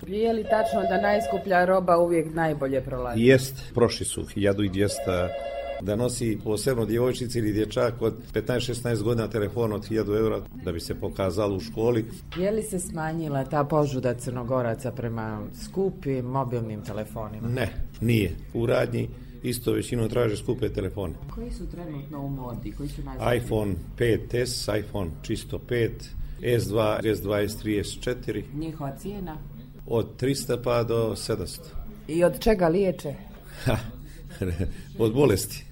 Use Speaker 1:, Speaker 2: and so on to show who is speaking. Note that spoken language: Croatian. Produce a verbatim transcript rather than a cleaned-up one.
Speaker 1: Je li tačno da najskuplja roba uvijek najbolje prolazi?
Speaker 2: Jest, prošli su hiljadu dvjesto da nosi posebno djevojčici ili dječak od petnaest šesnaest godina telefon od hiljadu eura da bi se pokazalo u školi.
Speaker 1: Je li se smanjila ta požuda Crnogoraca prema skupim mobilnim telefonima?
Speaker 2: Ne, nije. U radnji isto većinom traže skupe telefone.
Speaker 1: Koji su trenutno u modi? Koji su najskuplji?
Speaker 2: iPhone pet es, iPhone čisto pet, es dva, es dva, es tri, es četiri.
Speaker 1: Njihova cijena?
Speaker 2: Od trista pa do sedamsto.
Speaker 1: I od čega liječe?
Speaker 2: Od bolesti.